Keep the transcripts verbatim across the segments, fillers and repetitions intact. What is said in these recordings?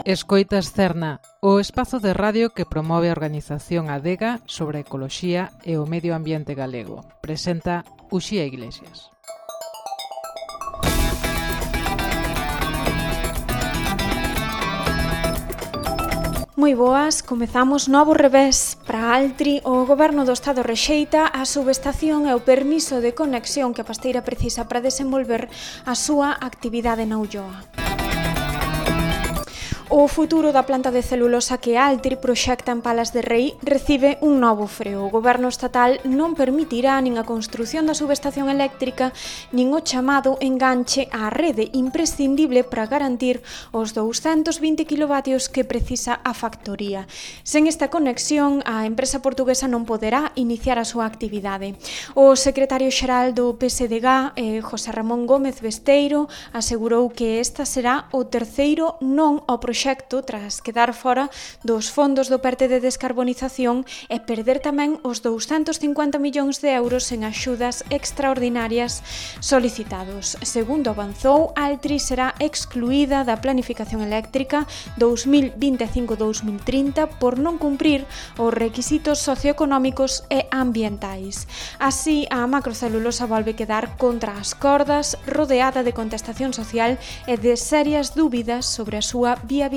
Escoitas Cerna, o espazo de radio que promove a organización Adega sobre a ecoloxía e o medio ambiente galego. Presenta Uxía Iglesias. Moi boas, comezamos novo revés. Para Altri, o Goberno do Estado rexeita a subestación e o permiso de conexión que a pasteira precisa para desenvolver a súa actividade na Ulloa. O futuro da planta de celulosa que Altri proxecta en Palas de Rei recibe un novo freo. O Goberno estatal non permitirá nin a construción da subestación eléctrica nin o chamado enganche á rede imprescindible para garantir os douscentos vinte kilovatios que precisa a factoría. Sen esta conexión, a empresa portuguesa non poderá iniciar a súa actividade. O secretario xeral do P S D G, eh, José Ramón Gómez Besteiro, asegurou que esta será o terceiro non ao proxecto tras quedar fora dos fondos do PERTE de descarbonización e perder tamén os douscentos cincuenta millóns de euros en axudas extraordinarias solicitados. Segundo avanzou, Altri será excluída da planificación eléctrica dos mil vinte e cinco a dos mil trinta por non cumprir os requisitos socioeconómicos e ambientais. Así, a macrocelulosa volve quedar contra as cordas, rodeada de contestación social e de serias dúbidas sobre a súa viabilidade.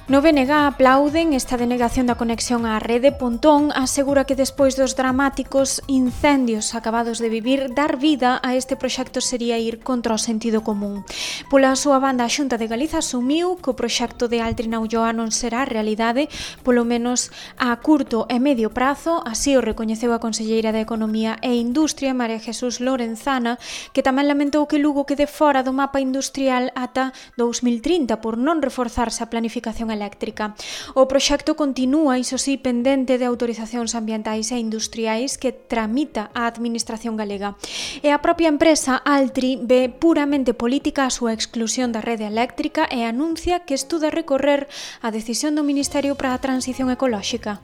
No B N G aplauden esta denegación da conexión á rede. Pontón asegura que despois dos dramáticos incendios acabados de vivir, dar vida a este proxecto sería ir contra o sentido común. Pola súa banda, a Xunta de Galiza asumiu que o proxecto de Altri na Ulloa non será realidade, polo menos a curto e medio prazo. Así o recoñeceu a conselleira de Economía e Industria, María Jesús Lorenzana, que tamén lamentou que Lugo quede fora do mapa industrial ata dos mil trinta por non reforzarse a planificación eléctrica. O proxecto continúa, iso sí, pendente de autorizacións ambientais e industriais que tramita a Administración galega. E a propia empresa Altri ve puramente política a súa exclusión da rede eléctrica e anuncia que estuda recorrer a decisión do Ministerio para a Transición Ecolóxica.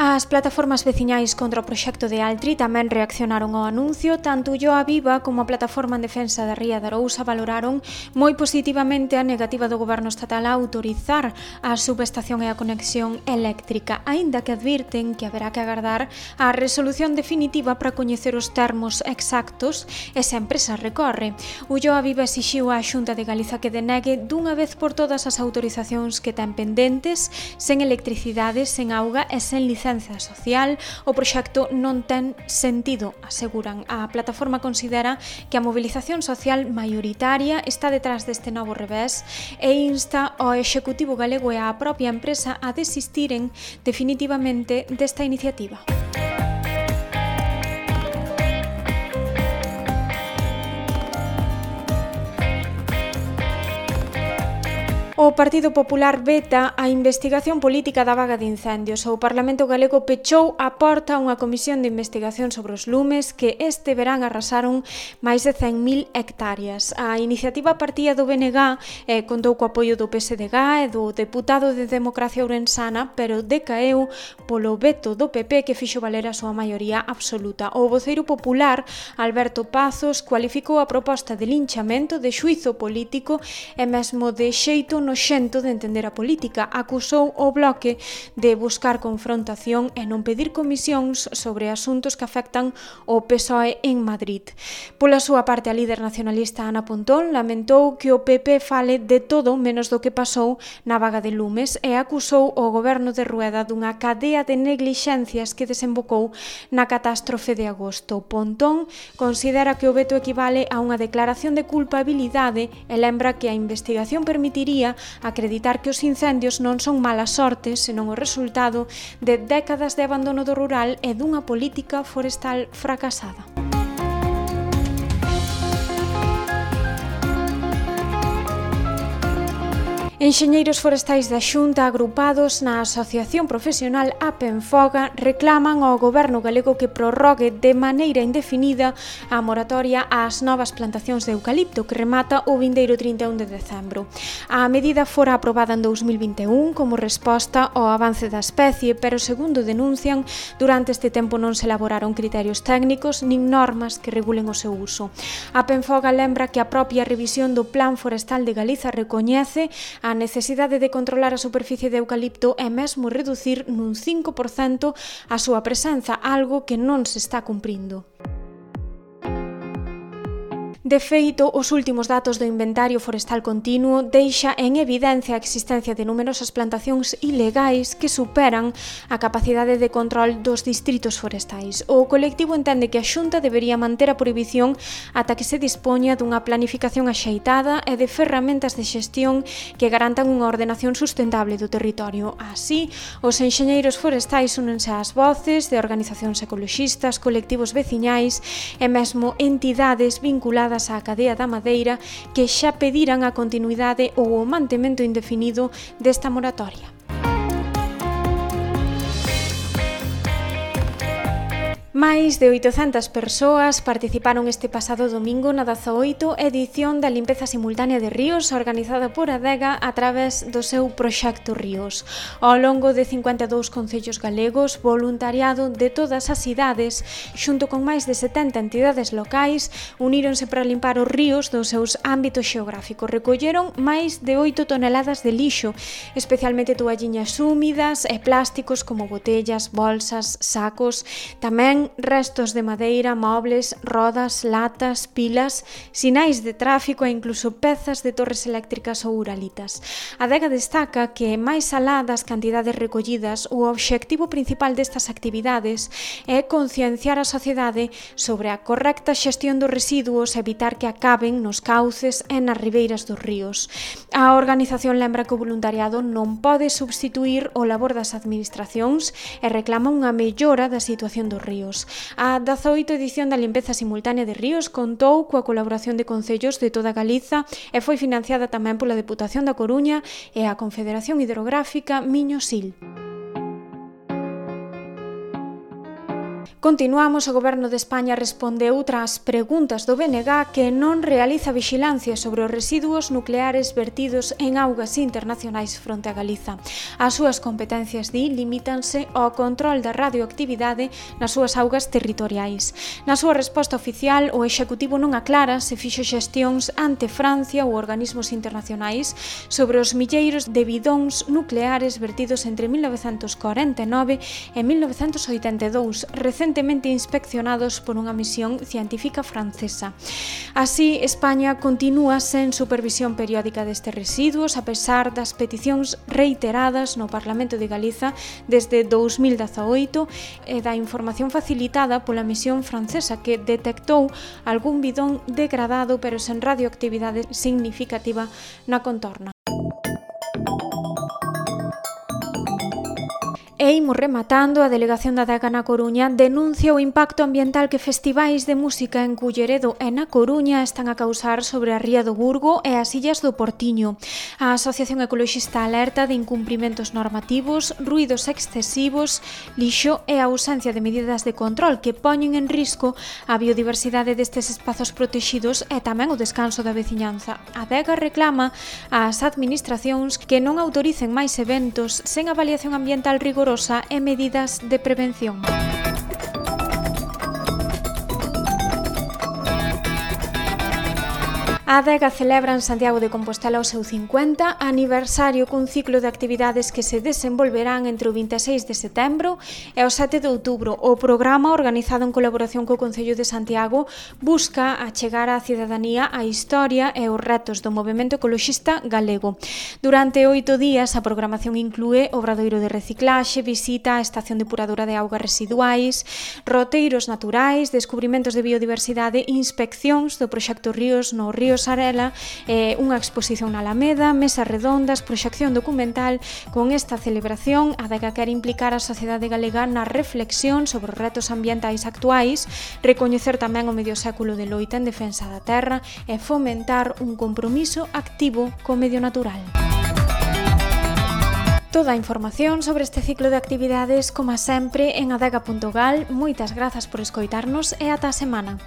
As plataformas veciñais contra o proxecto de Altri tamén reaccionaron ao anuncio. Tanto Ulloa Viva como a Plataforma en Defensa da Ría de Arousa valoraron moi positivamente a negativa do Goberno estatal a autorizar a subestación e a conexión eléctrica, aínda que advirten que haberá que agardar a resolución definitiva para coñecer os termos exactos e se a empresa recorre. Ulloa Viva exixiu á Xunta de Galiza que denegue dunha vez por todas as autorizacións que ten pendentes. Sen electricidade, sen auga e sen licencia social, o proxecto non ten sentido, aseguran. A plataforma considera que a movilización social maioritaria está detrás deste novo revés e insta ao Executivo galego e á propia empresa a desistiren definitivamente desta iniciativa. O Partido Popular veta a investigación política da vaga de incendios. O Parlamento galego pechou a porta a unha comisión de investigación sobre os lumes que este verán arrasaron máis de cen mil hectáreas. A iniciativa partía do B N G e contou co apoio do P S D G e do deputado de Democracia Ourensana, pero decaeu polo veto do P P que fixo valer a súa maioría absoluta. O voceiro popular, Alberto Pazos, cualificou a proposta de linchamento, de xuizo político e mesmo de xeito noxento de entender a política. Acusou o Bloque de buscar confrontación e non pedir comisións sobre asuntos que afectan o P S O E en Madrid. Pola súa parte, a líder nacionalista Ana Pontón lamentou que o P P fale de todo menos do que pasou na vaga de lumes e acusou o goberno de Rueda dunha cadea de neglixencias que desembocou na catástrofe de agosto. Pontón considera que o veto equivale a unha declaración de culpabilidade e lembra que a investigación permitiría acreditar que os incendios non son mala sorte, senón o resultado de décadas de abandono do rural e dunha política forestal fracasada. Enxeñeiros forestais da Xunta agrupados na Asociación Profesional Apenfoga reclaman ao Goberno galego que prorrogue de maneira indefinida a moratoria ás novas plantacións de eucalipto que remata o vindeiro trinta e un de decembro. A medida fora aprobada en dous mil vinte e un como resposta ao avance da especie, pero segundo denuncian, durante este tempo non se elaboraron criterios técnicos nin normas que regulen o seu uso. Apenfoga lembra que a propia revisión do Plan Forestal de Galiza recoñece a a necesidade de controlar a superficie de eucalipto e mesmo reducir nun cinco por cento a súa presenza, algo que non se está cumprindo. De feito, os últimos datos do Inventario Forestal Continuo deixa en evidencia a existencia de numerosas plantacións ilegais que superan a capacidade de control dos distritos forestais. O colectivo entende que a Xunta debería manter a prohibición ata que se dispoña dunha planificación axeitada e de ferramentas de xestión que garantan unha ordenación sustentable do territorio. Así, os enxeñeiros forestais únense ás voces de organizacións ecoloxistas, colectivos veciñais e mesmo entidades vinculadas á cadea da madeira que xa pediran a continuidade ou o mantemento indefinido desta moratoria. Máis de oitocentas persoas participaron este pasado domingo na dezaoito edición da limpeza simultánea de ríos organizada por Adega a través do seu proxecto Ríos. Ao longo de cincuenta e dous concellos galegos, voluntariado de todas as idades, xunto con máis de setenta entidades locais, uníronse para limpar os ríos dos seus ámbitos xeográficos. Recolleron máis de oito toneladas de lixo, especialmente toalliñas húmidas e plásticos como botellas, bolsas, sacos, tamén restos de madeira, mobles, rodas, latas, pilas, sinais de tráfico e incluso pezas de torres eléctricas ou uralitas. A Adega destaca que, máis alá das cantidades recollidas, o obxectivo principal destas actividades é concienciar a sociedade sobre a correcta xestión dos residuos e evitar que acaben nos cauces e nas ribeiras dos ríos. A organización lembra que o voluntariado non pode substituir o labor das administracións e reclama unha mellora da situación dos ríos. A dezaoito edición da limpeza simultánea de ríos contou coa colaboración de concellos de toda Galiza e foi financiada tamén pola Deputación da Coruña e a Confederación Hidrográfica Miño-Sil. Continuamos, o Goberno de España respondeu tras preguntas do B N G que non realiza vixilancia sobre os residuos nucleares vertidos en augas internacionais fronte a Galiza. As súas competencias, di, limítanse ao control da radioactividade nas súas augas territoriais. Na súa resposta oficial, o Executivo non aclara se fixo xestións ante Francia ou organismos internacionais sobre os milleiros de bidóns nucleares vertidos entre mil novecentos corenta e nove e mil novecentos oitenta e dous, recentemente inspeccionados por unha misión científica francesa. Así, España continúa sen supervisión periódica destes residuos, a pesar das peticións reiteradas no Parlamento de Galiza desde dous mil dezaoito e da información facilitada pola misión francesa que detectou algún bidón degradado pero sen radioactividade significativa na contorna. E imos rematando, a Delegación da Adega na Coruña denuncia o impacto ambiental que festivais de música en Culleredo e na Coruña están a causar sobre a ría do Burgo e as illas do Portiño. A Asociación Ecoloxista alerta de incumprimentos normativos, ruídos excesivos, lixo e a ausencia de medidas de control que poñen en risco a biodiversidade destes espazos protexidos e tamén o descanso da veciñanza. A Adega reclama ás administracións que non autoricen máis eventos sen avaliación ambiental rigorosa e medidas de prevención. A Adega celebra en Santiago de Compostela o seu cincuenta aniversario cun ciclo de actividades que se desenvolverán entre o vinte e seis de setembro e o sete de outubro. O programa, organizado en colaboración co Concello de Santiago, busca achegar á cidadanía a historia e os retos do movemento ecoloxista galego. Durante oito días, a programación inclúe obradoiro de reciclaxe, visita á estación depuradora de augas residuais, roteiros naturais, descubrimentos de biodiversidade, inspeccións do proxecto Ríos no Río Sarela, eh, unha exposición na Alameda, mesas redondas, proxección documental. Con esta celebración, a Adega quere implicar a sociedade galega na reflexión sobre os retos ambientais actuais, recoñecer tamén o medio século de loita en defensa da terra e fomentar un compromiso activo co medio natural. Toda a información sobre este ciclo de actividades, como sempre, en adega punto gal. Moitas grazas por escoitarnos e ata a semana.